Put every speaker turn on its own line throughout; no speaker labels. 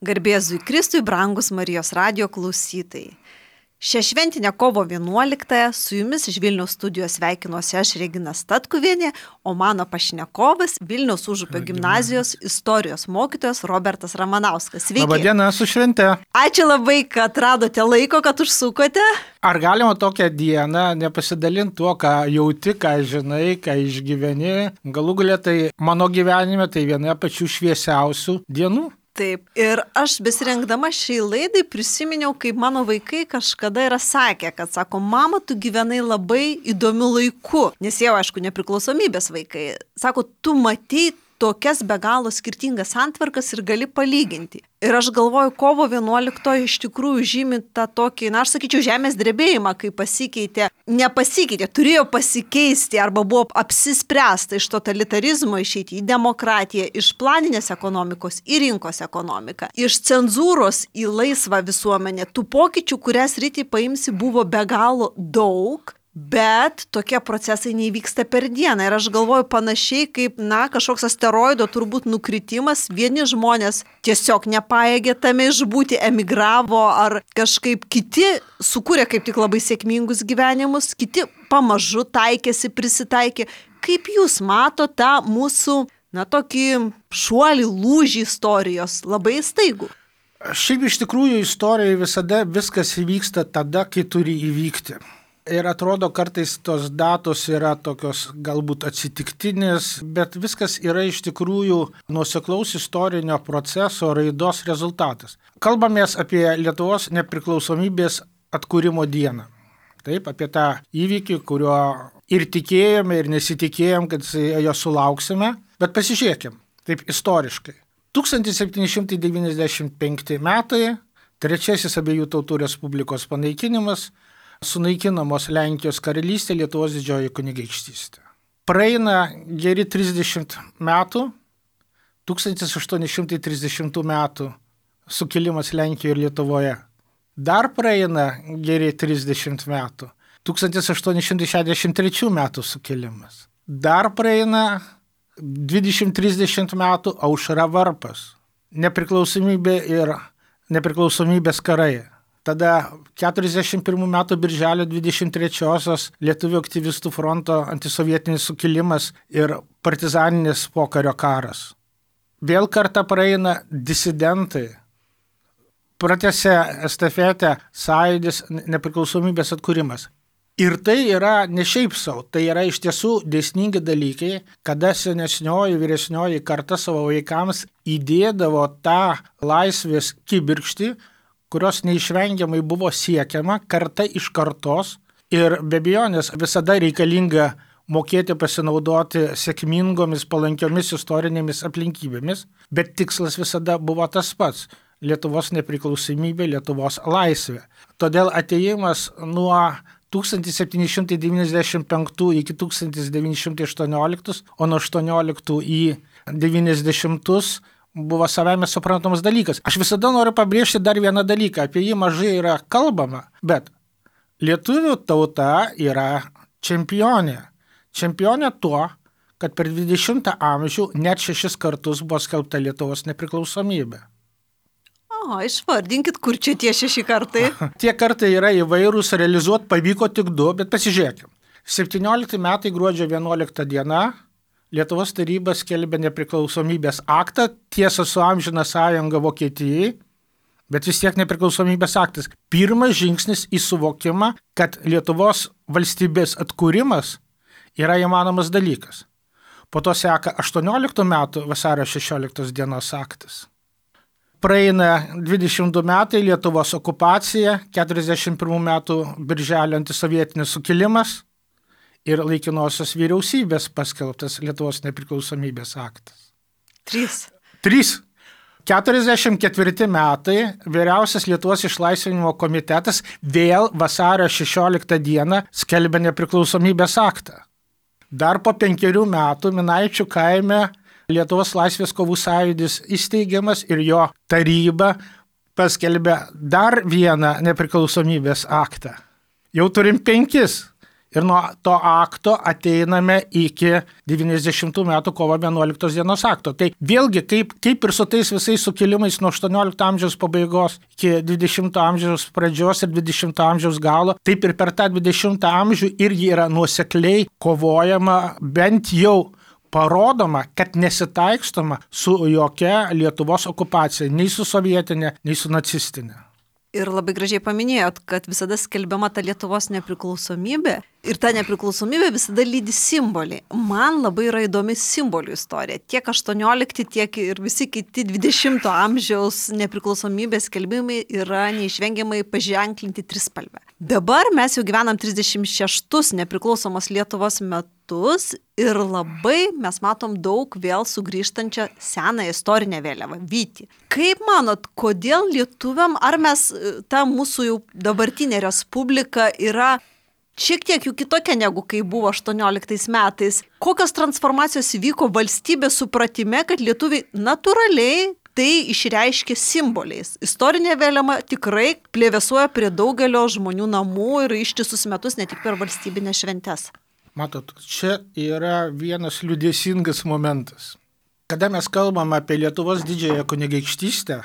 Garbėzui Kristui, brangus Marijos radijo klausytojai. Šią šventinę kovo 11-ąją su jumis iš Vilniaus studijos sveikinuosi aš Regina Statkuvienė, o mano pašnekovas Vilniaus Užupio gimnazijos istorijos mokytojas Robertas Ramanauskas. Sveiki.
Labadiena, su švente.
Ačiū labai, kad radote laiko, kad užsukote.
Ar galima tokią dieną nepasidalinti tuo, ką jauti, ką žinai, ką išgyveni? Galų galia tai mano gyvenime tai viena pačių šviesiausių dienų.
Taip, ir aš besirengdama šiai laidai prisiminiau, kaip mano vaikai kažkada yra sakę, kad sako, mama, tu gyvenai labai įdomiu laiku, nes jau, aišku, nepriklausomybės vaikai. Sako, tu matei tokias be galo skirtingas santvarkas ir gali palyginti. Ir aš galvoju, kovo 11 iš tikrųjų žymi tą tokį, aš sakyčiau, žemės drebėjimą, kai nepasikeitė, turėjo pasikeisti arba buvo apsispręsta iš totalitarizmo išeiti į demokratiją, iš planinės ekonomikos į rinkos ekonomiką, iš cenzūros į laisvą visuomenę. Tų pokyčių, kurias rytį paimsi, buvo be galo daug. Bet tokie procesai neįvyksta per dieną ir aš galvoju panašiai kaip, kažkoks asteroido turbūt nukritimas, vieni žmonės tiesiog nepajėgė tame išbūti, emigravo ar kažkaip kiti sukūrė kaip tik labai sėkmingus gyvenimus, kiti pamažu taikėsi, prisitaikė. Kaip jūs matote tą mūsų, tokį šuolį, lūžį istorijos, labai staigų?
Šiaip iš tikrųjų istorijoje visada viskas įvyksta tada, kai turi įvykti. Ir atrodo, kartais tos datos yra tokios galbūt atsitiktinės, bet viskas yra iš tikrųjų nuoseklaus istorinio proceso raidos rezultatas. Kalbamės apie Lietuvos nepriklausomybės atkūrimo dieną. Taip, apie tą įvykį, kurio ir tikėjome, ir nesitikėjom, kad jo sulauksime. Bet pasižiūrėkim, taip istoriškai. 1795 metai, trečiasis abiejų tautų respublikos panaikinimas, sunaikinamos Lenkijos karalystė, Lietuvos didžioji kunigaikštystė. Praeina geri 30 metų, 1830 metų sukilimas Lenkijoje ir Lietuvoje. Dar praeina geri 30 metų, 1863 metų sukilimas. Dar praeina 20-30 metų Aušra varpas, nepriklausomybė ir nepriklausomybės karai. Tada 41 metų birželio 23-osios Lietuvių aktyvistų fronto antisovietinis sukilimas ir partizaninis pokario karas. Vėl kartą praeina disidentai. Pratęsia estafetę sąjūdis nepriklausomybės atkūrimas. Ir tai yra ne šiaip savo, tai yra iš tiesų dėsningi dalykai, kada senesnioji, vyresnioji karta savo vaikams įdėdavo tą laisvės kibirkštį, kurios neišvengiamai buvo siekiama karta iš kartos ir be abejonės visada reikalinga mokėti pasinaudoti sėkmingomis, palankiomis istorinėmis aplinkybėmis, bet tikslas visada buvo tas pats – Lietuvos nepriklausomybė, Lietuvos laisvė. Todėl atėjimas nuo 1795 iki 1918, o nuo 18 į 90 buvo savame suprantamas dalykas. Aš visada noriu pabrėžti dar vieną dalyką, apie jį mažai yra kalbama, bet lietuvių tauta yra čempionė. Čempionė tuo, kad per 20 amžių net 6 kartus buvo skelbta Lietuvos nepriklausomybė.
Išvardinkit, kur čia tie 6 kartai?
Tie kartai yra įvairūs, realizuoti pavyko tik 2, bet pasižiūrėkim. 17 metai gruodžio 11 diena Lietuvos taryba skelbė nepriklausomybės aktą, tiesa su Amžina sąjunga Vokietijai, bet vis tiek nepriklausomybės aktas. Pirmas žingsnis į suvokimą, kad Lietuvos valstybės atkūrimas yra įmanomas dalykas. Po to seka 18 metų vasario 16 dienos aktas. Praeina 22 metai Lietuvos okupacija, 41 metų birželio antisovietinis sukilimas ir laikinosios vyriausybės paskelbtas Lietuvos nepriklausomybės aktas.
3.
44 metai vyriausias Lietuvos išlaisvinimo komitetas vėl vasario 16 dieną skelbė nepriklausomybės aktą. Dar po 5 metų Minaičių kaime Lietuvos laisvės kovų sąjūdis įsteigiamas ir jo taryba paskelbė dar vieną nepriklausomybės aktą. Jau turim 5. Ir nuo to akto ateiname iki 90 metų kovo 11 dienos akto. Tai vėlgi, kaip ir su tais visais sukilimais nuo 18 amžiaus pabaigos iki 20 amžiaus pradžios ir 20 amžiaus galo, taip ir per tą 20 amžių irgi yra nuosekliai kovojama, bent jau parodoma, kad nesitaikstoma su jokia Lietuvos okupacija, nei su sovietinė, nei su nacistinė.
Ir labai gražiai paminėjot, kad visada skelbiama ta Lietuvos nepriklausomybė ir ta nepriklausomybė visada lydi simboliai. Man labai yra įdomi simbolių istorija. Tiek 18, tiek ir visi kiti 20 amžiaus nepriklausomybės skelbimai yra neišvengiamai paženklinti trispalvę. Dabar mes jau gyvenam 36 nepriklausomos Lietuvos metus ir labai mes matom daug vėl sugrįžtančią seną istorinę vėliavą – Vytį. Kaip manot, kodėl lietuviam, ar mes, ta mūsų jau dabartinė respublika yra šiek tiek jų kitokia negu kai buvo 18 metais? Kokios transformacijos įvyko valstybės supratime, kad lietuviai natūraliai tai išreiškia simboliais? Istorinė vėliava tikrai plevėsuoja prie daugelio žmonių namų ir ištisus metus, ne tik per valstybinės šventes.
Matot, čia yra vienas liūdėsingas momentas. Kada mes kalbam apie Lietuvos didžiąją kunigaikštystę,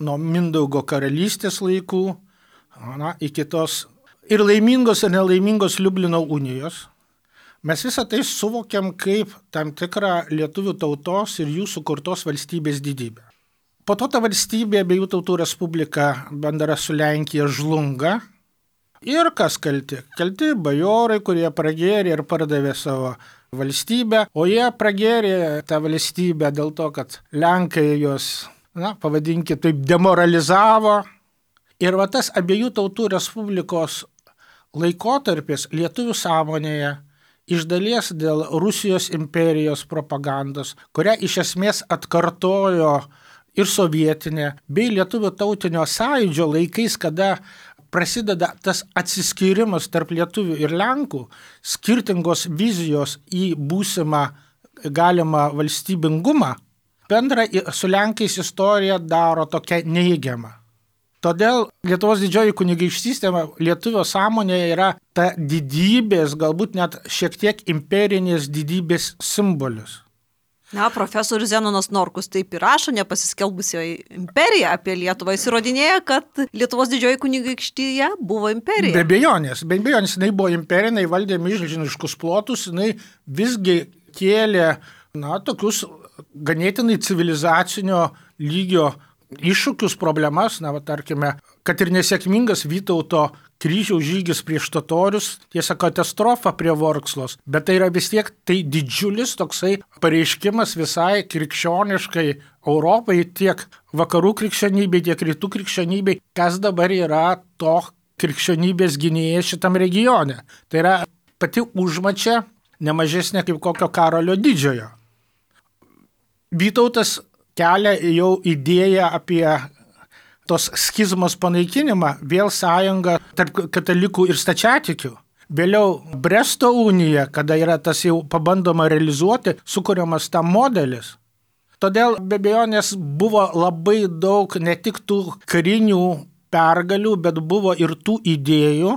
nuo Mindaugo karalystės laikų, iki tos ir laimingos ir nelaimingos Liublino unijos, mes visą tai suvokiam kaip tam tikrą lietuvių tautos ir jų sukurtos valstybės didybę. Po to ta valstybė, abiejų tautų respublika bendra su Lenkija žlunga. Ir kas kalti? Kalti bajorai, kurie pragėrė ir pardavė savo valstybę, o jie pragėrė tą valstybę dėl to, kad Lenkai jos, pavadinkime, taip demoralizavo. Ir va tas abiejų tautų respublikos laikotarpis lietuvių sąmonėje iš dalies dėl Rusijos imperijos propagandos, kurią iš esmės atkartojo ir sovietinė, bei lietuvių tautinio sąjūdžio laikais, kada prasideda tas atsiskyrimas tarp lietuvių ir lenkų, skirtingos vizijos į būsimą galimą valstybingumą, bendra su lenkais istorija daro tokia neįgiama. Todėl Lietuvos didžioji kunigaikštystė lietuvio sąmonėje yra ta didybės, galbūt net šiek tiek imperinės didybės simbolis.
Profesorius Zenonas Norkus taip ir rašo, nepasiskelbusioji imperija apie Lietuvą. Jis įrodinėja, kad Lietuvos didžioji kunigaikštija buvo imperija.
Be abejonės, jinai buvo imperija, jinai valdė milžiniškus plotus, jinai visgi kėlė, tokius ganėtinai civilizacinio lygio iššūkius, problemas, tarkime, kad ir nesėkmingas Vytauto kryžiaus žygis prieš totorius, tiesa katastrofa prie Vorkslos, bet tai yra vis tiek tai didžiulis toksai pareiškimas visai krikščioniškai Europai, tiek vakarų krikščionybei, tiek rytų krikščionybei, kas dabar yra to krikščionybės gynėjas šitam regione. Tai yra pati užmačia nemažesnė kaip kokio Karolio Didžiojo. Vytautas kelia jau idėją apie tos schizmos panaikinimą, vėl sąjunga tarp katalikų ir stačiatikių. Vėliau Bresto unija, kada yra tas jau pabandoma realizuoti, sukuriamas tam modelis. Todėl be abejonės buvo labai daug ne tik tų karinių pergalių, bet buvo ir tų idėjų,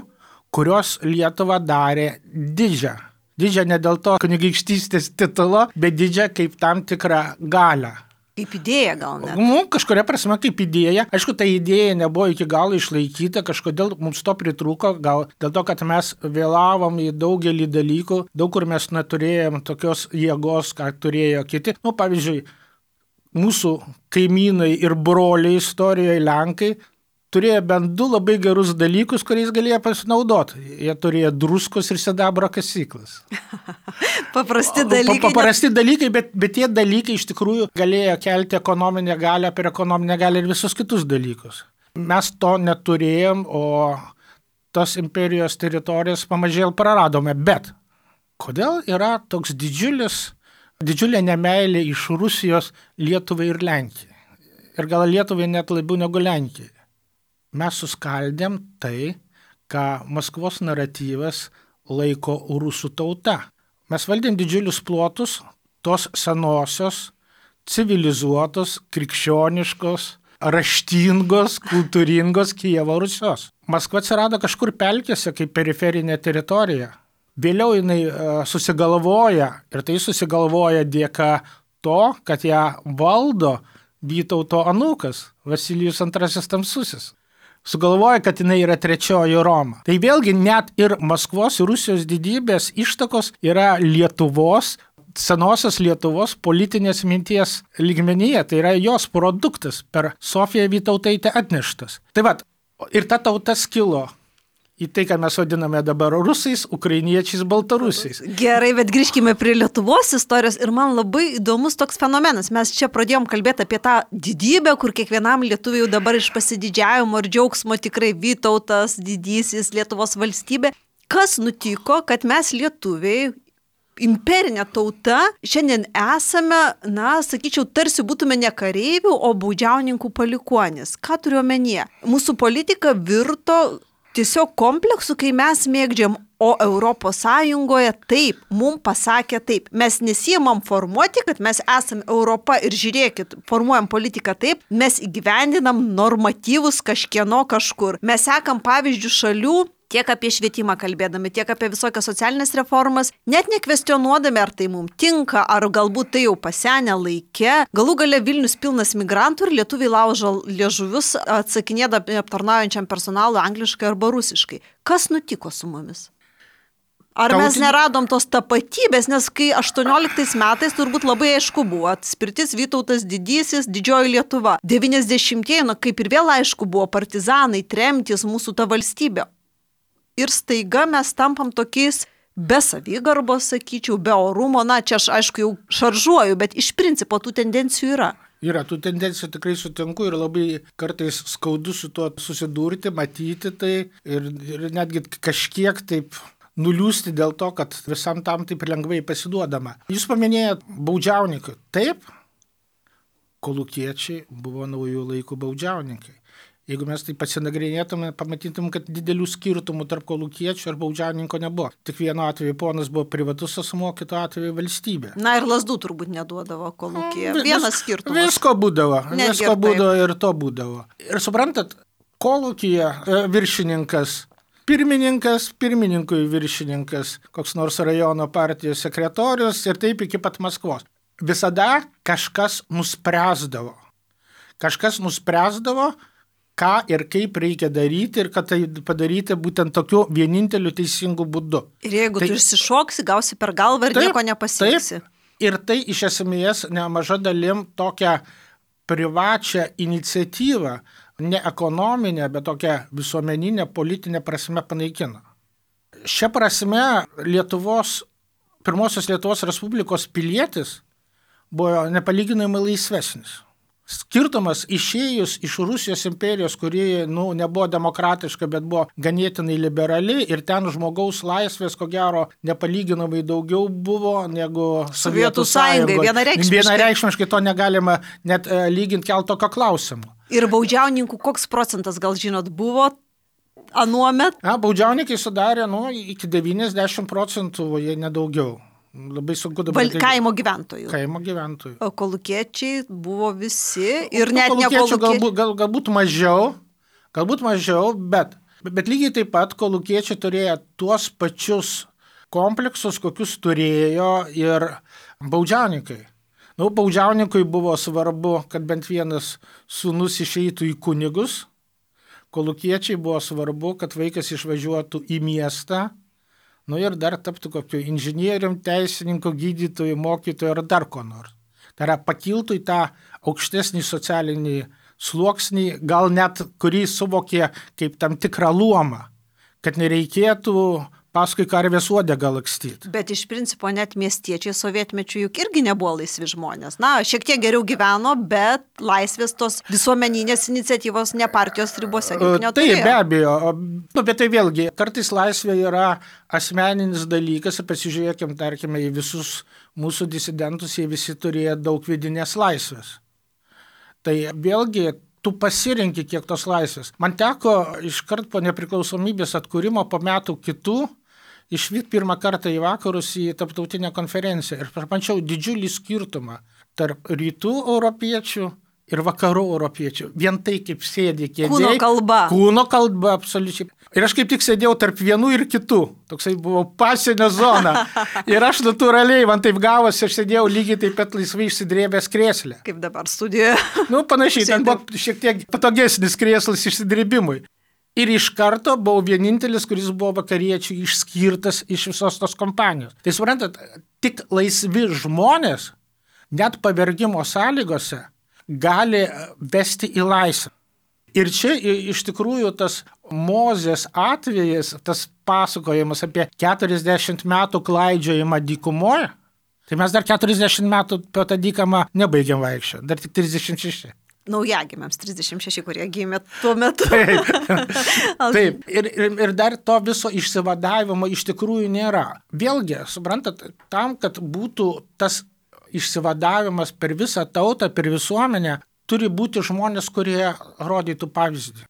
kurios Lietuvą darė didžią. Didžią ne dėl to kunigaikštystės titulo, bet didžią kaip tam tikrą galią.
Kaip idėja gal net?
Kažkuria prasme kaip idėja. Aišku, ta idėja nebuvo iki galo išlaikyta, kažkodėl mums to pritrūko, gal dėl to, kad mes vėlavom į daugelį dalykų, daug kur mes neturėjom tokios jėgos, ką turėjo kiti. Pavyzdžiui, mūsų kaimynai ir broliai istorijoje Lenkai turėjo bent du labai gerus dalykus, kuriais galėjo pasinaudoti. Jie turėjo druskos ir sidabro kasyklas.
Paprasti dalykai.
Paprasti dalykai, bet tie dalykai iš tikrųjų galėjo kelti ekonominę galią per ekonominę galią ir visus kitus dalykus. Mes to neturėjom, o tos imperijos teritorijos pamažėl praradome. Bet kodėl yra toks didžiulė nemeilė iš Rusijos Lietuvai ir Lenkijai? Ir gal Lietuvai net labiau negu Lenkijai. Mes suskaldėm tai, ką Maskvos naratyvas laiko rusų tauta. Mes valdėm didžiulius plotus tos senosios, civilizuotos, krikščioniškos raštingos, kultūringos Kijevo Rusios. Maskva atsirado kažkur pelkėse kaip periferinė teritorija. Vėliau jinai susigalvoja, ir tai susigalvoja dėka to, kad ją valdo Vytauto anūkas, Vasilijus II Tamsusis. Sugalvoja, kad jinai yra trečioji Roma. Tai vėlgi net ir Maskvos ir Rusijos didybės ištakos yra Lietuvos, senosios Lietuvos politinės minties lygmenyje. Tai yra jos produktas per Sofiją Vytautaitę atneštas. Tai vat, ir ta tauta skilo į tai, ką mes vadiname dabar rusais, ukrainiečiais, baltarusiais.
Gerai, bet grįžkime prie Lietuvos istorijos ir man labai įdomus toks fenomenas. Mes čia pradėjom kalbėti apie tą didybę, kur kiekvienam lietuviui dabar iš pasididžiavimo ir džiaugsmo tikrai Vytautas, didysis Lietuvos valstybė. Kas nutiko, kad mes lietuviai, imperinė tauta, šiandien esame, sakyčiau, tarsi būtume ne kareivių, o baudžiauninkų palikuonis. Ką turiu omenyje? Mūsų politika virto tiesiog kompleksų, kai mes mėgdžiam, o Europos Sąjungoje taip, mums pasakė taip. Mes nesiimam formuoti, kad mes esame Europa ir žiūrėkit, formuojam politiką taip, mes įgyvendinam normatyvus kažkieno kažkur. Mes sekam pavyzdžių šalių, tiek apie švietimą kalbėdami, tiek apie visokias socialinės reformas, net nekvestionuodami, ar tai mums tinka, ar galbūt tai jau pasenę laike. Galų gale Vilnius pilnas migrantų ir lietuviai laužo liežuvius, atsakinėdami aptarnaujančiam personalui angliškai arba rusiškai. Kas nutiko su mumis? Ar mes neradom tos tapatybės, nes kai 18 metais turbūt labai aišku buvo, atspirtis Vytautas didysis, didžioji Lietuva. 90-ieji, kaip ir vėl aišku buvo, partizanai, tremtys, mūsų ta valstybė. Ir staiga mes tampam tokiais be savigarbos, sakyčiau, be orumo, čia aš aišku jau šaržuoju, bet iš principo tų tendencijų yra.
Yra, tų tendencijų tikrai sutinku ir labai kartais skaudu su tuo susidurti, matyti tai ir netgi kažkiek taip nuliūsti dėl to, kad visam tam taip lengvai pasiduodama. Jūs paminėjot baudžiauninkai. Taip, kolūkiečiai buvo naujų laikų baudžiauninkai. Jeigu mes tai pasinagrinėtume, pamatytum, kad didelių skirtumų tarp kolūkiečio ir baudžiauninko nebuvo. Tik vienu atveju ponas buvo privatus asmuo, kitu atveju valstybė.
Ir lazdų turbūt neduodavo kolūkija. Vienas skirtumas.
Visko būdavo ir to būdavo. Ir suprantat, kolūkija viršininkas, pirmininkui viršininkas, koks nors rajono partijos sekretorius ir taip iki pat Maskvos. Visada kažkas nuspręsdavo. Ką ir kaip reikia daryti ir kad tai padaryti būtent tokiu vieninteliu teisingu būdu.
Ir jeigu tu išsišoksi, gausi per galvą ir nieko nepasieksi.
Ir tai iš esmės nemaža dalim tokią privačią iniciatyvą, ne ekonominę, bet tokią visuomeninę, politinę prasme panaikino. Šia prasme pirmosios Lietuvos Respublikos pilietis buvo nepalyginamai laisvesnis. Skirtumas išėjus iš Rusijos imperijos, kuri nebuvo demokratiška, bet buvo ganėtinai liberali ir ten žmogaus laisvės, ko gero, nepalyginamai daugiau buvo negu Sovietų Sąjungoje. Vienareikšmiškai to negalima net lyginti keltokio klausimo.
Ir baudžiauninkų koks procentas, gal žinot, buvo anuomet?
Baudžiauninkai sudarė iki 90%, jei nedaugiau. Labai sunku dabar.
Kaimo gyventojų. O kolūkiečiai buvo visi ir net ne kolūkiečiai.
Galbūt mažiau, bet lygiai taip pat kolūkiečiai turėjo tuos pačius kompleksus, kokius turėjo ir baudžiauninkai. Baudžiauninkui buvo svarbu, kad bent vienas sūnus išeitų į kunigus. Kolūkiečiai buvo svarbu, kad vaikas išvažiuotų į miestą. Ir dar taptų kokiu inžinierium, teisininku, gydytoju, mokytoju ar dar ko nors. Tai yra pakiltų į tą aukštesnį socialinį sluoksnį, gal net kurį suvokė kaip tam tikrą luomą, kad nereikėtų paskui karvės uodegą lakstyti.
Bet iš principo net miestiečiai sovietmečių juk irgi nebuvo laisvi žmonės. Šiek tiek geriau gyveno, bet laisvės tos visuomeninės iniciatyvos ne partijos ribose juk neturėjo.
Tai be abejo, bet tai vėlgi, kartais laisvė yra asmeninis dalykas ir pasižiūrėkim, tarkime, į visus mūsų disidentus, jie visi turėjo daug vidinės laisvės. Tai vėlgi, tu pasirinki kiek tos laisvės. Man teko iškart po nepriklausomybės atkūrimo po metų kitų išvykti pirmą kartą į vakarus į tarptautinę konferenciją ir pamačiau didžiulį skirtumą tarp rytų europiečių ir vakarų europiečių. Vien tai, kaip sėdė kėdėj.
Kūno kalba.
Kūno kalba, absoliučiai. Ir aš kaip tik sėdėjau tarp vienų ir kitų. Toksai buvo pasienio zona. Ir aš natūraliai, man taip gavosi, aš sėdėjau lygiai taip pat laisvai išsidrėbęs krėslę.
Kaip dabar studijoje.
Panašiai, ten buvo šiek tiek patogesnis krėslas išsidrėbimui. Ir iš karto buvau vienintelis, kuris buvo vakariečių išskirtas iš visos tos kompanijos. Tai suprantat, tik laisvi žmonės, net pavergimo sąlygose, gali vesti į laisvę. Ir čia iš tikrųjų tas Mozės atvejas, tas pasakojimas apie 40 metų klaidžiojimą dykumoje, tai mes dar 40 metų po tą dykamą nebaigiam vaikščioti, dar tik 36.
Naujagimiams 36, kurie gimė tuo metu.
Taip. Ir dar to viso išsivadavimo iš tikrųjų nėra. Vėlgi, suprantat, tam, kad būtų tas išsivadavimas per visą tautą, per visuomenę, turi būti žmonės, kurie rodytų pavyzdį.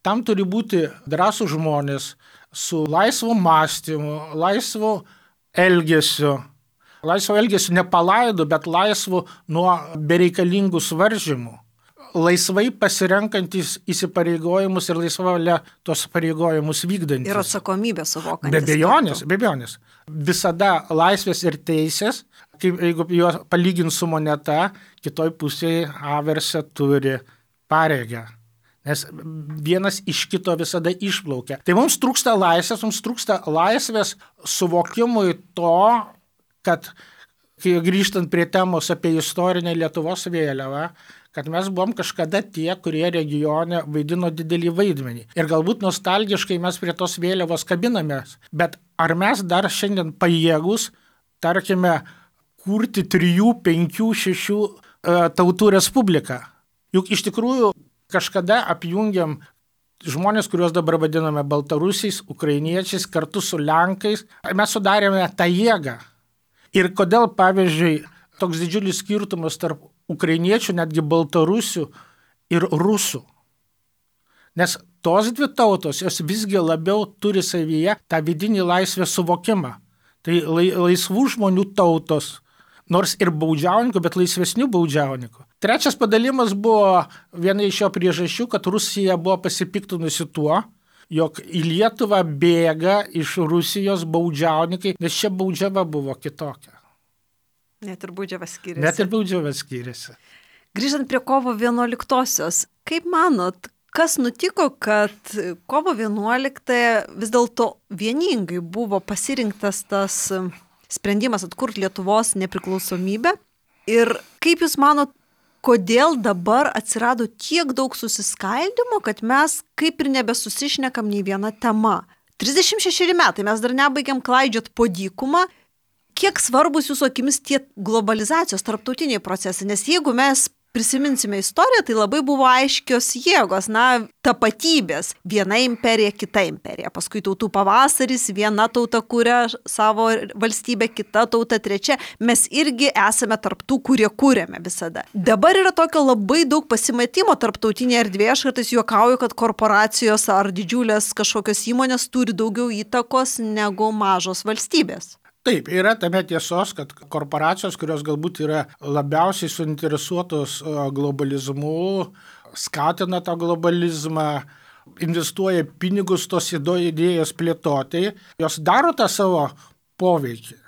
Tam turi būti drąsų žmonės su laisvu mąstymu, laisvu elgesiu. Laisvo elgesiu ne palaidu, bet laisvu nuo bereikalingų suvaržymų. Laisvai pasirenkantis įsipareigojimus ir laisva valia tos pareigojimus vykdantis.
Ir atsakomybę suvokantis.
Be abejonės. Visada laisvės ir teisės, jeigu juos palygint su moneta, kitoj pusėje averse turi pareigą. Nes vienas iš kito visada išplaukia. Tai mums trūksta laisvės suvokimui to, kad, kai grįžtant prie temos apie istorinę Lietuvos vėliavą, kad mes buvom kažkada tie, kurie regione vaidino didelį vaidmenį. Ir galbūt nostalgiškai mes prie tos vėliavos kabinamės, bet ar mes dar šiandien pajėgus, tarkime, kurti 3, 5, 6 tautų respubliką? Juk iš tikrųjų kažkada apjungiam žmonės, kuriuos dabar vadiname baltarusiais, ukrainiečiais, kartu su lenkais. Mes sudarėme tą jėgą. Ir kodėl, pavyzdžiui, toks didžiulis skirtumas tarp ukrainiečių, netgi baltarusių ir rusų? Nes tos dvi tautos, jos visgi labiau turi savyje tą vidinį laisvės suvokimą. Tai laisvų žmonių tautos, nors ir baudžiauninkų, bet laisvesnių baudžiauninkų. Trečias padalimas buvo viena iš jo priežasčių, kad Rusija buvo pasipiktinusi tuo, jog į Lietuvą bėga iš Rusijos baudžiauninkai, nes čia baudžiava buvo kitokia.
Net ir baudžiava skiriasi. Grįžtant prie kovo 11-osios, kaip manot, kas nutiko, kad kovo 11 vis dėlto vieningai buvo pasirinktas tas sprendimas atkurti Lietuvos nepriklausomybę? Ir kaip jūs manot, kodėl dabar atsirado tiek daug susiskaldimo, kad mes kaip ir nebesusišnekam nei viena tema? 36 metai, mes dar nebaigiam klaidžiot po dykumą. Kiek svarbus jūsų akimis tie globalizacijos tarptautiniai procesai? Nes jeigu mes prisiminsime istoriją, tai labai buvo aiškios jėgos, tapatybės. Viena imperija, kita imperija. Paskui tautų pavasaris, viena tauta kuria savo valstybę, kita tauta trečia. Mes irgi esame tarptų, kurie kūrėme visada. Dabar yra tokio labai daug pasimatimo tarptautinėje erdvėje. Aš kartais juokauju, kad korporacijos ar didžiulės kažkokios įmonės turi daugiau įtakos negu mažos valstybės.
Taip, yra tame tiesos, kad korporacijos, kurios galbūt yra labiausiai suinteresuotos globalizmu, skatina tą globalizmą, investuoja pinigus tos idėjos plėtotai, jos daro tą savo poveikį.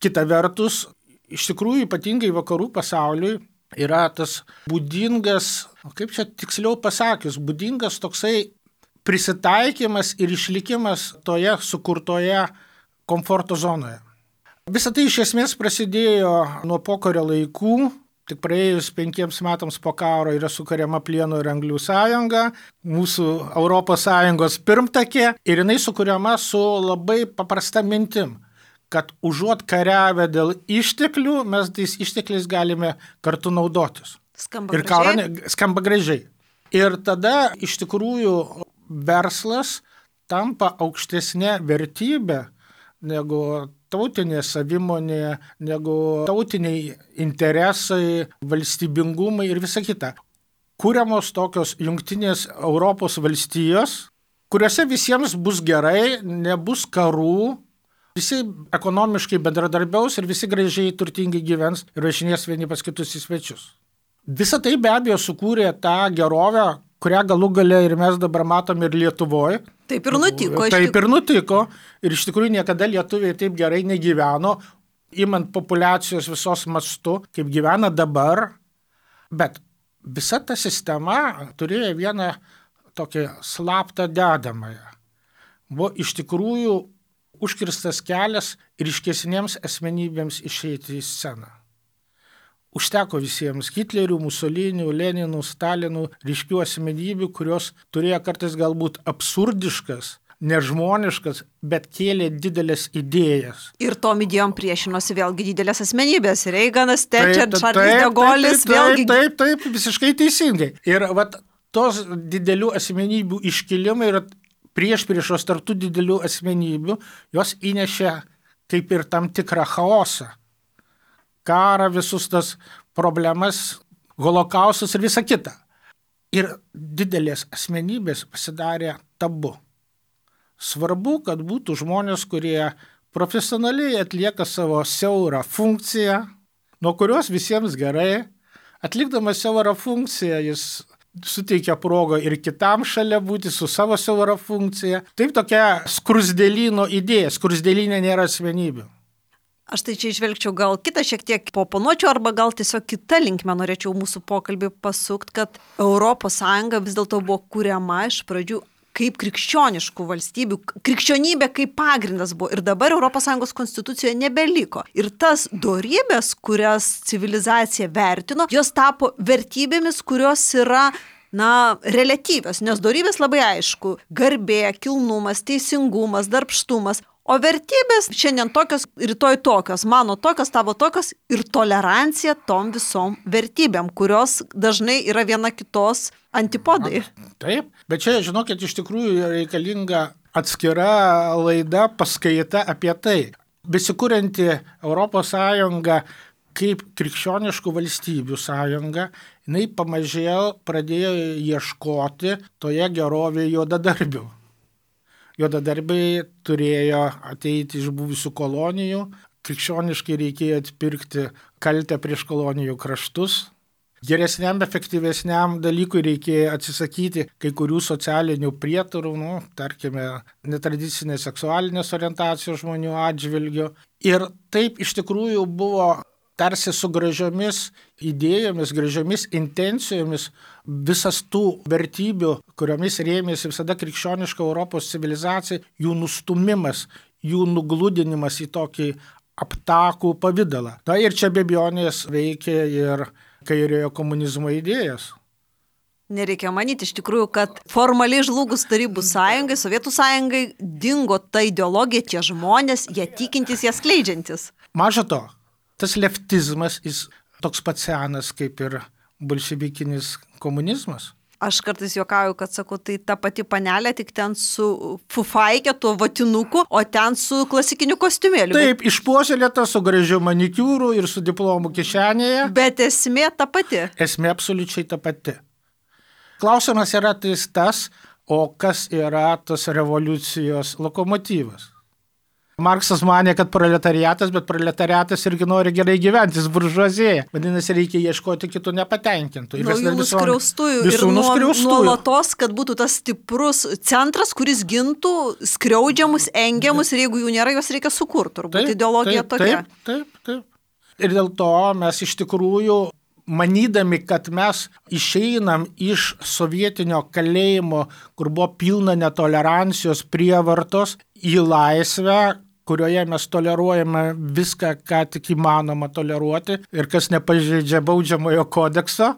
Kita vertus, iš tikrųjų ypatingai vakarų pasauliui yra tas būdingas, kaip čia tiksliau pasakius, būdingas toksai prisitaikymas ir išlikimas toje sukurtoje komforto zonoje. Visą tai iš esmės prasidėjo nuo pokario laikų, tik praėjus 5 metams po karo yra sukuriama Plieno ir Anglių sąjunga, mūsų Europos Sąjungos pirmtakė, ir jinai sukuriama su labai paprasta mintim, kad užuot kariavę dėl išteklių, mes tais ištekliais galime kartu naudotis. Skamba gražiai. Ir tada iš tikrųjų verslas tampa aukštesnė vertybė negu tautinė savimonė, negu tautiniai interesai, valstybingumai ir visa kita. Kūriamos tokios jungtinės Europos valstijos, kuriuose visiems bus gerai, nebus karų, visi ekonomiškai bendradarbiaus ir visi gražiai turtingai gyvens ir važinės vieni pas kitus į svečius. Visa tai be abejo sukūrė tą gerovę, kurią galų gale ir mes dabar matom ir Lietuvoje.
Taip ir nutiko.
Taip ir nutiko. Ir iš tikrųjų niekada lietuviai taip gerai negyveno, imant populiacijos visos mastu, kaip gyvena dabar. Bet visa ta sistema turėjo vieną tokį slaptą dedamąją. Buvo iš tikrųjų užkirstas kelias ryškesniems asmenybėms išeiti į sceną. Užteko visiems Hitlerių, Musolinių, Leninų, Stalinų, ryškių asmenybių, kurios turėjo kartais galbūt absurdiškas, nežmoniškas, bet kėlė didelės idėjas.
Ir tom idėjom priešinosi vėlgi didelės asmenybės. Reiganas, Thatcher, Charles de Gaullis, vėlgi.
Taip, visiškai teisingai. Ir vat tos didelių asmenybių iškilimai ir priešpriešos tarp tų didelių asmenybių, jos įnešė kaip ir tam tikrą chaosą. Karą, visus tas problemas, holokaustus ir visa kita. Ir didelės asmenybės pasidarė tabu. Svarbu, kad būtų žmonės, kurie profesionaliai atlieka savo siaurą funkciją, nuo kurios visiems gerai. Atlikdamas siaurą funkciją, jis suteikia progą ir kitam šalia būti su savo siaura funkcija. Taip tokia skrusdėlyno idėja. Skrusdėlynė nėra asmenybių.
Aš tai čia išvelgčiau gal kitą šiek tiek oponuočiau arba gal tiesiog kitą linkmę norėčiau mūsų pokalbį pasukti, kad ES vis dėlto buvo kuriama iš pradžių kaip krikščioniškų valstybių, krikščionybė kaip pagrindas buvo ir dabar ES konstitucijoje nebeliko. Ir tas dorybės, kurias civilizacija vertino, jos tapo vertybėmis, kurios yra reliatyvios, nes dorybės labai aišku, garbė, kilnumas, teisingumas, darbštumas, o vertybės šiandien tokios, rytoj tokios, mano tokios, tavo tokios ir tolerancija tom visom vertybėm, kurios dažnai yra viena kitos antipodai.
Taip, bet čia, žinokit, iš tikrųjų reikalinga atskira laida, paskaita apie tai. Besikurianti ES kaip krikščioniškų valstybių sąjunga, jinai pamažėl pradėjo ieškoti toje gerovėje juodadarbių. Juodadarbiai turėjo ateiti iš buvusių kolonijų, krikščioniškai reikėjo atpirkti kaltę prieš kolonijų kraštus. Geresniam, efektyvesniam dalykui reikėjo atsisakyti kai kurių socialinių prietarų, tarkime, netradicinės seksualinės orientacijos žmonių atžvilgių. Ir taip iš tikrųjų buvo tarsi su gražiomis idėjomis, gražiomis intencijomis visas tų vertybių, kuriomis rėmėsi visada krikščioniška Europos civilizacija, jų nustumimas, jų nugludinimas į tokį aptakų pavidalą. Ir čia be abejonės veikia ir kairiojo komunizmo idėjas.
Nereikia manyti iš tikrųjų, kad formaliai žlugus Tarybų sąjungai, Sovietų sąjungai dingo ta ideologija, tie žmonės, jie tikintis, jie skleidžiantis.
Maža to, tas leftizmas jis toks pat senas kaip ir bolševikinis komunizmas.
Aš kartais juokauju, kad sakau, tai ta pati panelė, tik ten su fufaikė, tuo vatinuku, o ten su klasikiniu kostiumėliu.
Taip, išpuoselėta su gražiu manikiūru ir su diplomu kišenėje.
Bet esmė ta pati.
Esmė absoliučiai ta pati. Klausimas yra tas, o kas yra tas revoliucijos lokomotyvas. Marksas manė, kad proletariatas, bet proletariatas irgi nori gerai gyventi, jis buržuazėja. Vadinasi, reikia ieškoti kitų nepatenkintų.
Naujų nuskriaustųjų ir nuolatos, kad būtų tas stiprus centras, kuris gintų skriaudžiamus, engiamus ir jeigu jų nėra, juos reikia sukurti. Turbūt ideologija tokia.
Taip. Ir dėl to mes iš tikrųjų, manydami, kad mes išeinam iš sovietinio kalėjimo, kur buvo pilna netolerancijos, prievartos, į laisvę, kurioje mes toleruojame viską, ką tik įmanoma toleruoti ir kas nepažeidžia baudžiamojo kodekso,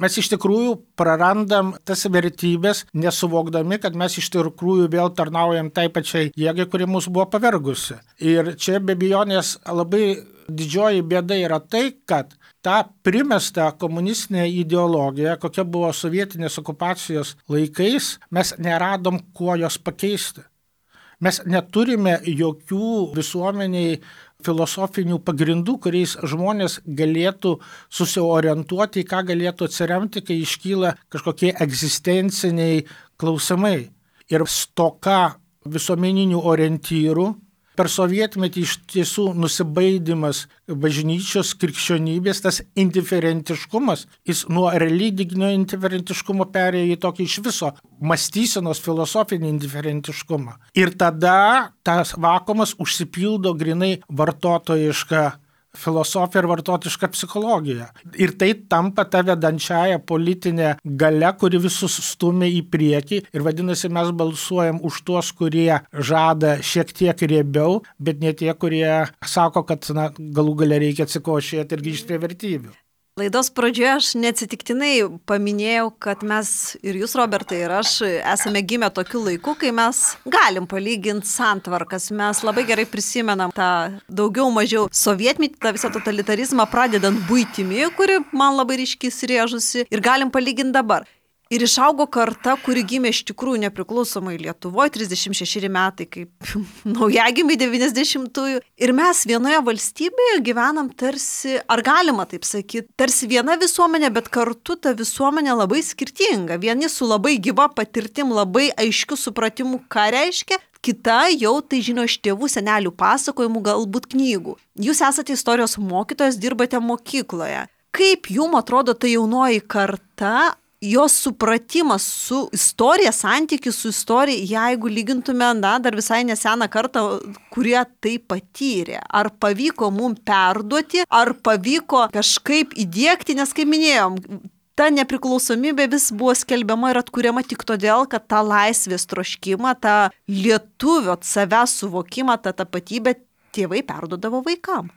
mes iš tikrųjų prarandam tas vertybės, nesuvokdami, kad mes iš tikrųjų vėl tarnaujam tai pačiai jėgai, kuri mus buvo pavergusi. Ir čia be abejonės labai didžioji bėda yra tai, kad tą primestą komunistinę ideologiją, kokia buvo sovietinės okupacijos laikais, mes neradom kuo jos pakeisti. Mes neturime jokių visuomeniai filosofinių pagrindų, kuriais žmonės galėtų susiorientuoti, į ką galėtų atsiremti, kai iškyla kažkokie egzistenciniai klausimai. Ir stoka visuomeninių orientyrų per sovietmetį iš tiesų nusibaidimas bažnyčios krikščionybės, tas indiferentiškumas, jis nuo religinio indiferentiškumo perėjo į tokį iš viso mąstysenos filosofinį indiferentiškumą. Ir tada tas vakuumas užsipildo grinai vartotojišką filosofija ir vartotiška psichologija. Ir tai tampa ta vedančiaja politinė galia, kuri visus stumia į priekį. Ir vadinasi, mes balsuojam už tuos, kurie žada šiek tiek riebiau, bet ne tie, kurie sako, kad galų gale reikia atsikošėti ir grįžti prie vertybių.
Laidos pradžioje aš neatsitiktinai paminėjau, kad mes ir jūs, Robertai, ir aš esame gimę tokiu laiku, kai mes galim palyginti santvarkas. Mes labai gerai prisimenam tą daugiau mažiau sovietmetį, tą visą totalitarizmą, pradedant buitimi, kuri man labai ryškiai įsirėžusi, ir galim palyginti dabar. Ir išaugo karta, kuri gimė iš tikrųjų nepriklausomai Lietuvoje, 36 metai, kaip naujagimiai 90-ųjų. Ir mes vienoje valstybėje gyvenam tarsi, ar galima taip sakyti, tarsi viena visuomenė, bet kartu ta visuomenė labai skirtinga. Vieni su labai gyva patirtim, labai aiškiu supratimu, ką reiškia. Kita jau tai žino iš tėvų, senelių pasakojimų, galbūt knygų. Jūs esate istorijos mokytojas, dirbate mokykloje. Kaip jums atrodo ta jaunoji karta, jos supratimas su istorija, santykis su istorija, jeigu lygintume, dar visai neseną kartą, kurie tai patyrė? Ar pavyko mums perduoti, ar pavyko kažkaip įdiegti, nes kaip minėjom, ta nepriklausomybė vis buvo skelbiama ir atkuriama tik todėl, kad tą laisvės troškimą, tą lietuvio savęs suvokimą, tą tapatybę tėvai perduodavo vaikam.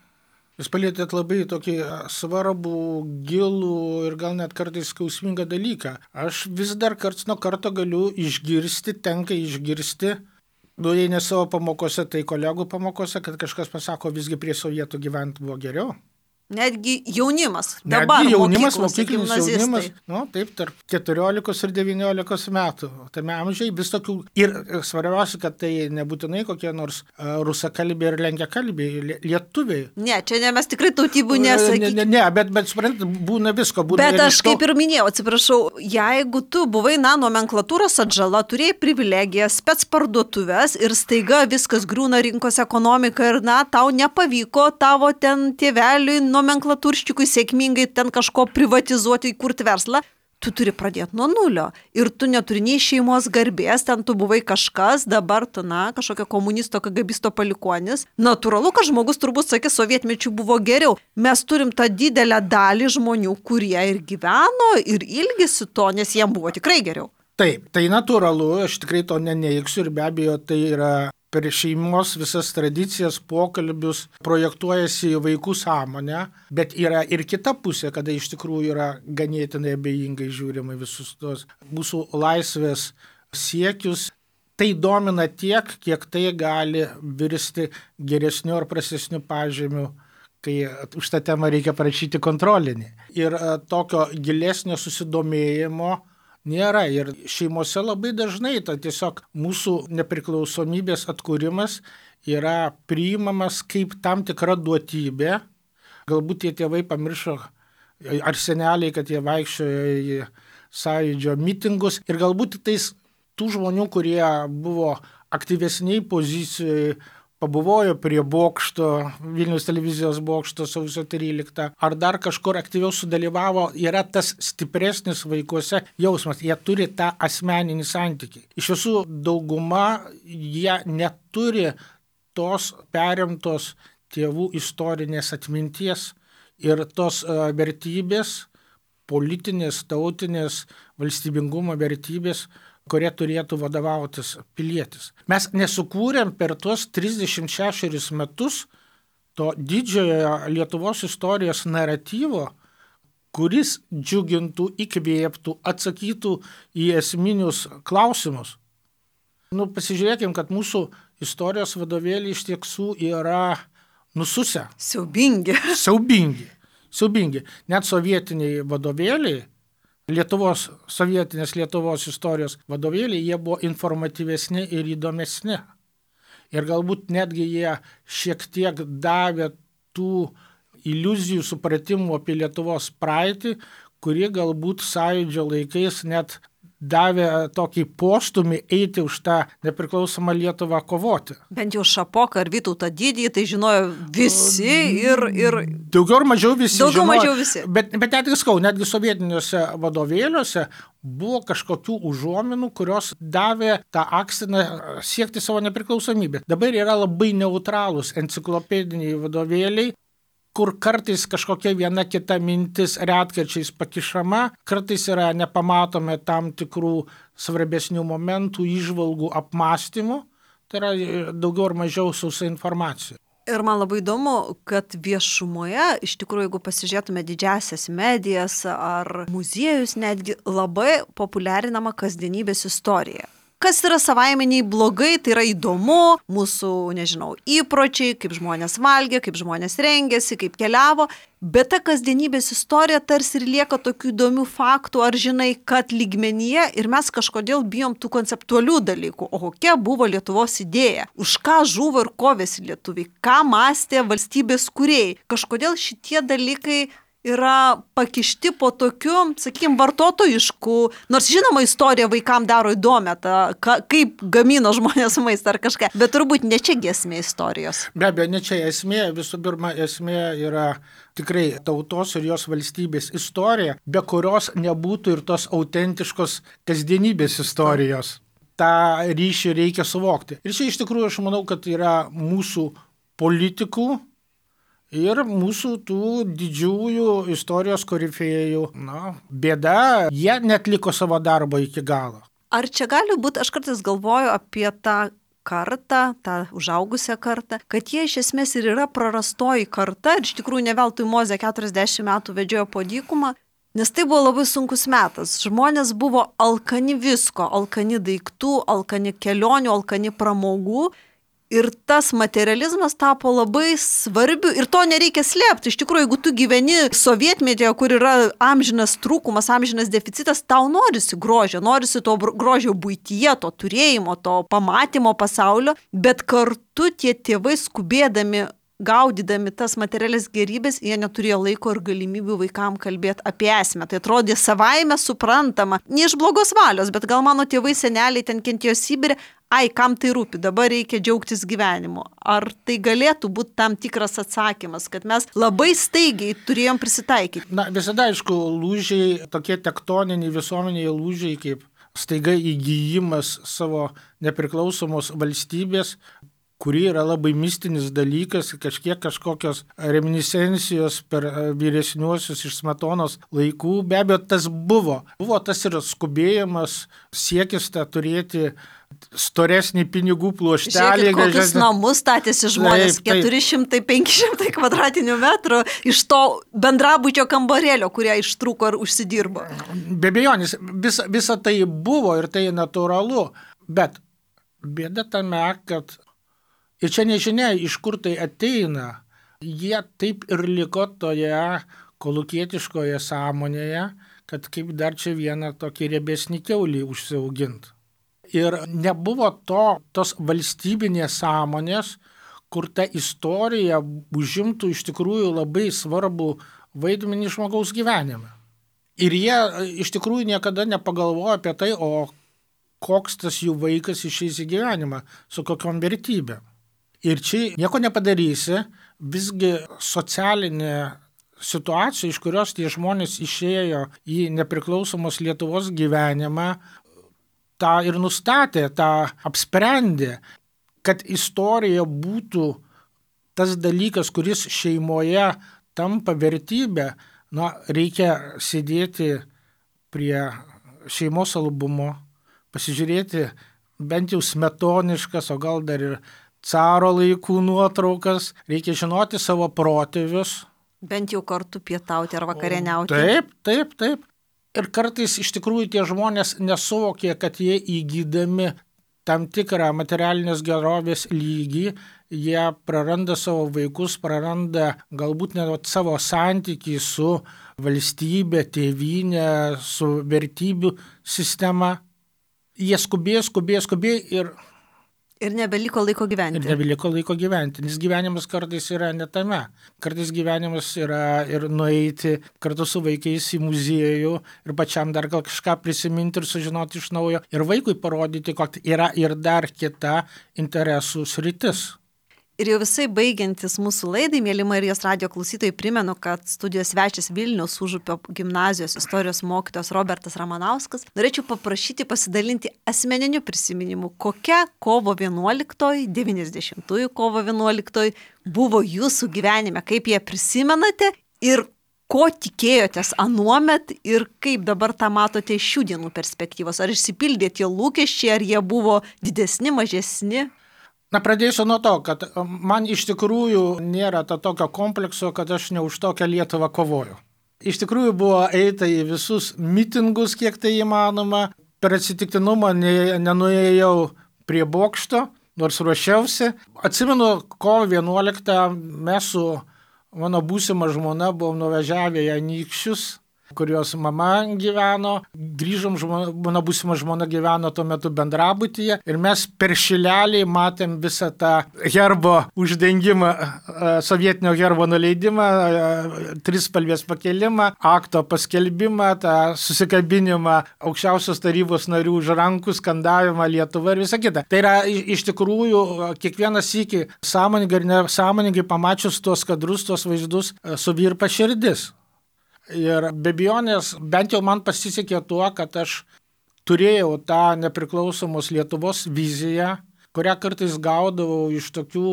Jūs palietėt labai tokį svarbų, gilų ir gal net kartais skausmingą dalyką. Aš vis dar karts nuo karto galiu išgirsti, tenka išgirsti, jei ne savo pamokose, tai kolegų pamokose, kad kažkas pasako, visgi prie sovietų gyventi buvo geriau.
Netgi jaunimas. Dabar
netgi jaunimas,
mokyklinis
jaunimas, taip, tarp 14 ir 19 metų. Tame amžiai vis tokių. Ir svarbiausia, kad tai nebūtinai kokie nors rusakalbiai ir lenkiakalbiai, lietuviai.
Ne, čia ne, mes tikrai tautybių nesakykime.
Ne, bet suprantate, būna visko.
Bet aš kaip ir minėjau, atsiprašau, jeigu tu buvai nomenklatūros atžala, turėjai privilegiją, spec parduotuvės ir staiga viskas griūna rinkos ekonomika ir tau nepavyko tavo ten tėveliui nomenklatūrščikui sėkmingai ten kažko privatizuoti, įkurti verslą, tu turi pradėti nuo nulio. Ir tu neturi nei šeimos garbės, ten tu buvai kažkas, dabar tu, kažkokio komunisto, kagabisto palikuonis. Natūralu, kad žmogus turbūt sakė, sovietmečių buvo geriau. Mes turim tą didelę dalį žmonių, kurie ir gyveno, ir ilgisi to, nes jiem buvo tikrai geriau.
Taip, tai natūralu, aš tikrai to neneiksiu ir be abejo tai yra per šeimos visas tradicijas, pokalbius projektuojasi į vaikų sąmonę, bet yra ir kita pusė, kada iš tikrųjų yra ganėtinai abejingai žiūrima visus tos mūsų laisvės siekius. Tai domina tiek, kiek tai gali virsti geresniu ar prastesniu pažymiu, kai už tą temą reikia parašyti kontrolinį. Ir tokio gilesnio susidomėjimo nėra. Ir šeimose labai dažnai tiesiog mūsų nepriklausomybės atkūrimas yra priimamas kaip tam tikra duotybė. Galbūt tie tėvai pamiršo, ar seneliai, kad jie vaikščiojo į sąjūdžio mitingus. Ir galbūt tais tų žmonių, kurie buvo aktyvesniai pozicijoje, pabuvojo prie bokšto, Vilniaus televizijos bokšto sausio 13, ar dar kažkur aktyviau sudalyvavo, yra tas stipresnis vaikuose jausmas, jie turi tą asmeninį santykį. Iš visų dauguma jie neturi tos perimtos tėvų istorinės atminties ir tos vertybės, politinės, tautinės, valstybingumo vertybės, kurie turėtų vadovautis pilietis. Mes nesukūrėm per tuos 36 metus to didžiojo Lietuvos istorijos naratyvo, kuris džiugintų, įkvėptų, atsakytų į esminius klausimus. Pasižiūrėkim, kad mūsų istorijos vadovėliai iš tiesų yra nususę. Siaubingi. Net sovietiniai vadovėliai, sovietinės Lietuvos istorijos vadovėliai, jie buvo informatyvesni ir įdomesni. Ir galbūt netgi jie šiek tiek davė tų iliuzijų, supratimų apie Lietuvos praeitį, kurie galbūt sąjūdžio laikais net davė tokį postumį eiti už tą nepriklausomą Lietuvą kovoti.
Bent jau Šapoką ar Vytautą Didįjį tai žinojo visi ir
Daugiau ar mažiau visi
daugiau
žinojo.
mažiau visi.
Bet netgi sovietiniuose vadovėliuose buvo kažkokių užuominų, kurios davė tą akstiną siekti savo nepriklausomybę. Dabar yra labai neutralūs enciklopediniai vadovėliai, kur kartais kažkokia viena kita mintis retkarčiais pakišama, kartais yra nepamatome tam tikrų svarbesnių momentų, įžvalgų, apmąstymų, tai yra daugiau ar mažiau sausa informacija.
Ir man labai įdomu, kad viešumoje, iš tikrųjų, jeigu pasižiūrėtume didžiasias medijas ar muziejus, netgi labai populiarinama kasdienybės istorija. Kas yra savaimeniai blogai, tai yra įdomu, mūsų, įpročiai, kaip žmonės valgė, kaip žmonės rengėsi, kaip keliavo, bet ta kasdienybės istorija tarsi ir lieka tokių įdomių faktų, ar žinai, kad lygmenyje ir mes kažkodėl bijom tų konceptualių dalykų, o kokia buvo Lietuvos idėja, už ką žuvo ir kovėsi lietuviai, ką mąstė valstybės kūrėjai, kažkodėl šitie dalykai yra pakišti po tokiu, vartotojišku, nors žinoma istorija vaikam daro įdomią, kaip gamino žmonės maistą ar kažką, bet turbūt ne čia esmė istorijos.
Be abejo, ne čia esmė, visų pirma, esmė yra tikrai tautos ir jos valstybės istorija, be kurios nebūtų ir tos autentiškos kasdienybės istorijos. Ta ryšį reikia suvokti. Ir čia iš tikrųjų aš manau, kad yra mūsų politikų ir mūsų tų didžiųjų istorijos korifėjų, bėda, jie netliko savo darbo iki galo.
Ar čia gali būti, aš kartais galvoju apie tą kartą, tą užaugusią kartą, kad jie iš esmės ir yra prarastoji karta ir iš tikrųjų ne veltui Mozė 40 metų vedžiojo po dykumą, nes tai buvo labai sunkus metas. Žmonės buvo alkani visko, alkani daiktų, alkani kelionių, alkani pramogų. Ir tas materializmas tapo labai svarbiu ir to nereikia slėpti. Iš tikrųjų, jeigu tu gyveni sovietmetyje, kur yra amžinas trūkumas, amžinas deficitas, tau norisi grožio, norisi to grožio buityje, to turėjimo, to pamatymo pasaulio, bet kartu tie tėvai skubėdami, gaudydami tas materialias gerybės, jie neturėjo laiko ir galimybių vaikam kalbėti apie esmę. Tai atrodė savaime suprantama, ne iš blogos valios, bet gal mano tėvai seneliai ten kentėjo Sibire, kam tai rūpi, dabar reikia džiaugtis gyvenimu. Ar tai galėtų būti tam tikras atsakymas, kad mes labai staigiai turėjom prisitaikyti?
Visada, aišku, lūžiai, tokie tektoniniai visuomeniai lūžiai, kaip staiga įgijimas savo nepriklausomos valstybės, kuri yra labai mistinis dalykas, kažkokios reminiscencijos per vyresniuosius iš Smetonos laikų. Be abejo, tas buvo. Buvo tas ir skubėjimas, siekis turėti storesnį pinigų pluoštelį.
Žiūrėkit, kokius namus statėsi žmonės, 400-500 kvadratinių metrų iš to bendrabučio kambarėlio, kurią ištrūko ir užsidirbo.
Be abejonės, visa tai buvo ir tai natūralu, bet bėda tame, kad ir čia nežinia, iš kur tai ateina, jie taip ir liko toje kolūkietiškoje sąmonėje, kad kaip dar čia vieną tokį riebesnį kiaulį užsiaugint. Ir nebuvo tos valstybinės sąmonės, kur ta istorija užimtų iš tikrųjų labai svarbų vaidmenį žmogaus gyvenime. Ir jie iš tikrųjų niekada nepagalvojo apie tai, o koks tas jų vaikas išeis į gyvenimą, su kokiom vertybėm. Ir čia nieko nepadarysi, visgi socialinė situacija, iš kurios tie žmonės išėjo į nepriklausomos Lietuvos gyvenimą, tą ir nustatė, tą apsprendė, kad istorija būtų tas dalykas, kuris šeimoje tampa vertybė, reikia sėdėti prie šeimos albumo, pasižiūrėti bent jau smetoniškas, o gal dar ir caro laikų nuotraukas, reikia žinoti savo protėvius.
Bent jau kartu pietauti ar vakarieniauti.
Taip. Ir kartais iš tikrųjų tie žmonės nesuvokė, kad jie įgydami tam tikrą materialinės gerovės lygį, jie praranda savo vaikus, praranda galbūt net savo santykį su valstybė, tėvynė, su vertybių sistema. Jie skubėjo ir
Ir nebeliko laiko gyventi.
Ir nebeliko laiko gyventi, nes gyvenimas kartais yra ne tame. Kartais gyvenimas yra ir nueiti kartu su vaikais į muziejų ir pačiam dar gal kažką prisiminti ir sužinoti iš naujo. Ir vaikui parodyti, kad yra ir dar kita interesų sritis.
Ir jau visai baigiantis mūsų laidai, mėly Marijos radijo klausytojai, primenu, kad studijos svečias Vilniaus Užupio gimnazijos istorijos mokytojas Robertas Ramanauskas. Norėčiau paprašyti pasidalinti asmeniniu prisiminimu, kokia kovo 11, 90-ųjų kovo 11 buvo jūsų gyvenime, kaip ją prisimenate ir ko tikėjotės anuomet ir kaip dabar tą matote iš šių dienų perspektyvos. Ar išsipildė tie lūkesčiai, ar jie buvo didesni, mažesni?
Na, pradėsiu nuo to, kad man iš tikrųjų nėra to tokio komplekso, kad aš ne už tokią Lietuvą kovoju. Iš tikrųjų buvo eita į visus mitingus, kiek tai įmanoma. Per atsitiktinumą nenuėjau prie bokšto, nors ruošiausi. Atsimenu, kovo 11 mes su mano būsima žmona buvom nuvažiavę į Anykščius, kurios mama gyveno, grįžom, mano būsima žmona gyveno tuo metu bendrabutyje ir mes per šilelį matėm visą tą herbo uždengimą, sovietinio herbo nuleidimą, trispalvės pakelimą, akto paskelbimą, tą susikabinimą aukščiausios tarybos narių už rankų, skandavimą Lietuvą ir visą kitą. Tai yra iš tikrųjų kiekvieną sykį sąmoningai ir nesąmoningai pamačius tuos kadrus, tuos vaizdus, suvirpa širdis. Ir be abejonės, bent jau man pasisekė tuo, kad aš turėjau tą nepriklausomos Lietuvos viziją, kurią kartais gaudavau iš tokių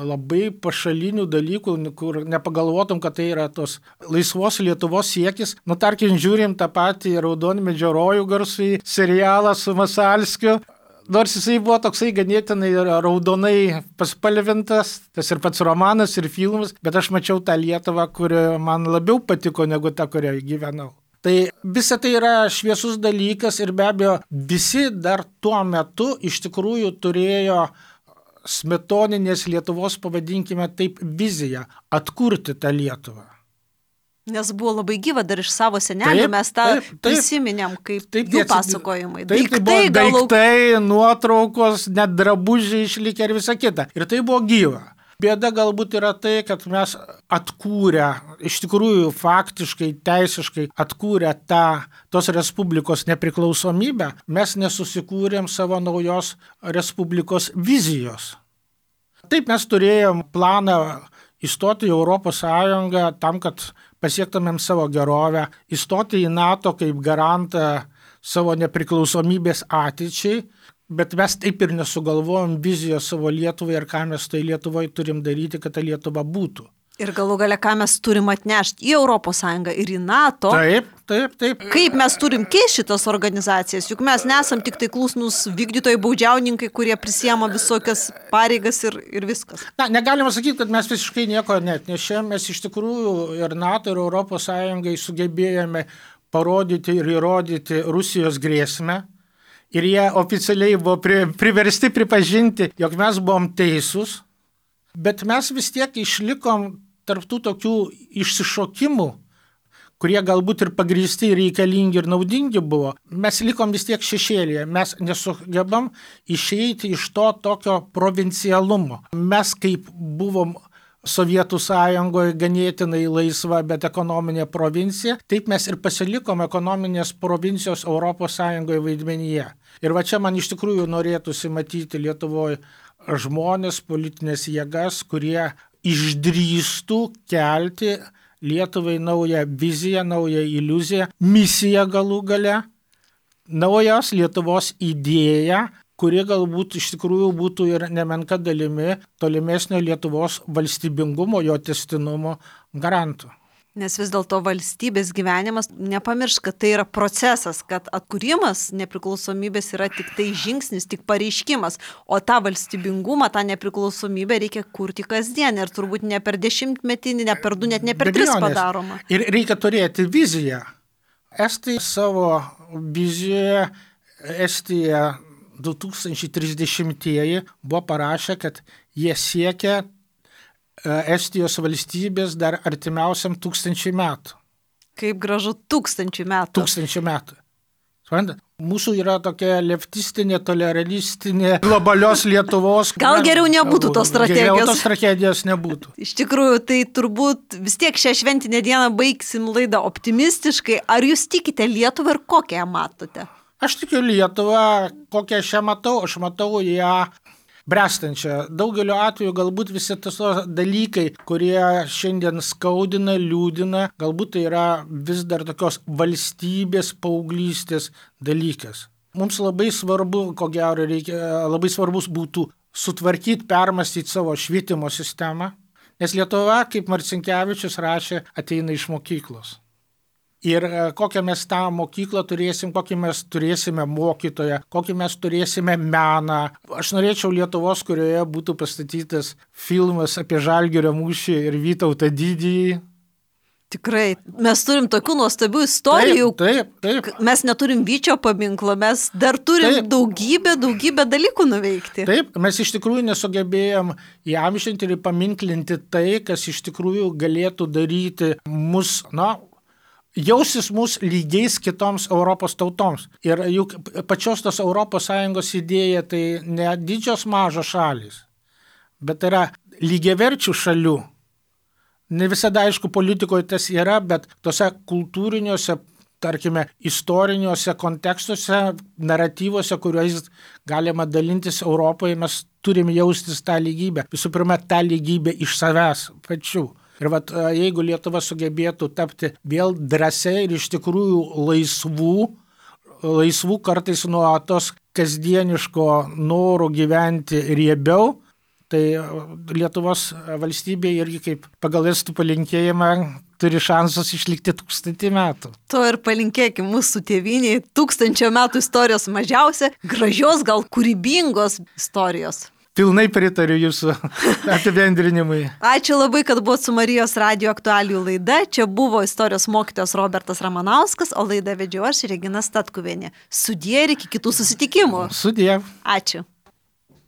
labai pašalinių dalykų, kur nepagalvotum, kad tai yra tos laisvos Lietuvos siekis. Nu, tarkim, žiūrim tą patį Raudonmedžio rojų garsų serialą su Masalskiu. Nors jisai buvo toksai ganėtinai raudonai paspalvintas, tas ir pats romanas, ir filmas, bet aš mačiau tą Lietuvą, kuri man labiau patiko negu ta, kurioje gyvenau. Tai visa tai yra šviesus dalykas ir be abejo visi dar tuo metu iš tikrųjų turėjo smetoninės Lietuvos, pavadinkime taip, viziją atkurti tą Lietuvą.
Nes buvo labai gyva dar iš savo senelių, mes tą prisiminėm kaip jų pasakojimai.
Daiktai, nuotraukos, net drabužiai išlikę ir visa kita. Ir tai buvo gyva. Bėda galbūt yra tai, kad mes atkūrę, iš tikrųjų faktiškai, teisiškai atkūrę tos respublikos nepriklausomybę, mes nesusikūrėm savo naujos respublikos vizijos. Taip mes turėjom planą įstoti į Europos Sąjungą tam, kad pasiektumėm savo gerovę, įstoti į NATO kaip garantą savo nepriklausomybės ateičiai, bet mes taip ir nesugalvojom vizijos savo Lietuvai ir ką mes tai Lietuvoje turim daryti, kad ta Lietuva būtų.
Ir galų gale, ką mes turim atnešti į Europos Sąjungą ir į NATO.
Taip.
Kaip mes turim keisti šitas organizacijas, juk mes nesam tik tai klusnus vykdytojai, baudžiauninkai, kurie prisiema visokias pareigas ir viskas.
Na, negalima sakyti, kad mes visiškai nieko neatnešėm, mes iš tikrųjų ir NATO, ir Europos Sąjungai sugebėjome parodyti ir įrodyti Rusijos grėsmę. Ir jie oficialiai buvo priversti pripažinti, jog mes buvom teisūs, bet mes vis tiek išlikom tarptų tokių išsišokimų, kurie galbūt ir pagrįsti, ir reikalingi, ir naudingi buvo. Mes likom vis tiek šešėlyje, mes nesugebam išeiti iš to tokio provincialumo. Mes kaip buvom Sovietų Sąjungoje ganėtinai laisva, bet ekonominė provincija, taip mes ir pasilikom ekonominės provincijos Europos Sąjungoje vaidmenyje. Ir va čia man iš tikrųjų norėtųsi matyti Lietuvoje žmonės, politinės jėgas, kurie išdrįstų kelti Lietuvai naują viziją, naują iliuziją, misiją galų gale, naujos Lietuvos idėją, kuri galbūt iš tikrųjų būtų ir nemenka dalimi tolimesnio Lietuvos valstybingumo, jo tęstinumo garantų.
Nes vis dėlto valstybės gyvenimas, nepamiršk, kad tai yra procesas, kad atkūrimas nepriklausomybės yra tik tai žingsnis, tik pareiškimas, o tą valstybingumą, tą nepriklausomybę reikia kurti kasdien ir turbūt ne per 10-metį, ne per 2, net ne per 3 padaroma. Ir
reikia turėti viziją. Estai savo vizijoje, Estija 2030-ieji buvo parašę, kad jie siekia Estijos valstybės dar artimiausiam 1000 metų.
Kaip gražu 1000 metų.
1000 metų. Suprantat? Mūsų yra tokia leftistinė, toleralistinė, globalios Lietuvos.
Gal geriau nebūtų tos strategijos.
Geriau tos tragedijos nebūtų.
Iš tikrųjų, tai turbūt vis tiek šią šventinę dieną baigsim laidą optimistiškai. Ar jūs tikite Lietuvą ir kokią ją matote?
Aš tikiu Lietuvą, kokią aš ją matau. Aš matau ją brestančią. Daugeliu atveju galbūt visi tos dalykai, kurie šiandien skaudina, liūdina, galbūt tai yra vis dar tokios valstybės paauglystės dalykas. Mums labai svarbu, ko gero labai svarbus būtų sutvarkyti, permastyti savo švietimo sistemą, nes Lietuva, kaip Marcinkevičius rašė, ateina iš mokyklos. Ir kokią mes tą mokyklą turėsim, kokį mes turėsime mokytoją, kokį mes turėsime meną. Aš norėčiau Lietuvos, kurioje būtų pastatytas filmas apie Žalgirio mūšį ir Vytautą Didįjį.
Tikrai, mes turim tokių nuostabių istorijų.
Taip.
Mes neturim Vyčio paminklo, mes dar turim daugybę dalykų nuveikti.
Taip, mes iš tikrųjų nesugebėjom įamžinti ir paminklinti tai, kas iš tikrųjų galėtų daryti mus, jausis mus lygiais kitoms Europos tautoms. Ir juk pačios tos ES idėja tai ne didžios mažos šalys, bet yra lygiaverčių šalių. Ne visada, aišku, politikoje tas yra, bet tose kultūriniuose, tarkime, istoriniuose kontekstuose, naratyvuose, kuriuos galima dalintis Europoje, mes turim jaustis tą lygybę. Visų pirma, tą lygybę iš savęs pačių. Ir jeigu Lietuva sugebėtų tapti vėl drąsiai ir iš tikrųjų laisvų kartais nuo tos kasdieniško noro gyventi riebiau, tai Lietuvos valstybė irgi kaip pagal estų palinkėjimą turi šansus išlikti 1000 metų.
To ir palinkėkim mūsų tėvyniai 1000 metų istorijos mažiausia, gražios, gal kūrybingos istorijos.
Pilnai pritariu jūsų apibendrinimui.
Ačiū labai, kad buvot su Marijos radijo aktualijų laida. Čia buvo istorijos mokytojas Robertas Ramanauskas, o laidą vedžiau aš, Regina Statkuvienė. Sudie ir iki kitų susitikimų.
Sudie.
Ačiū.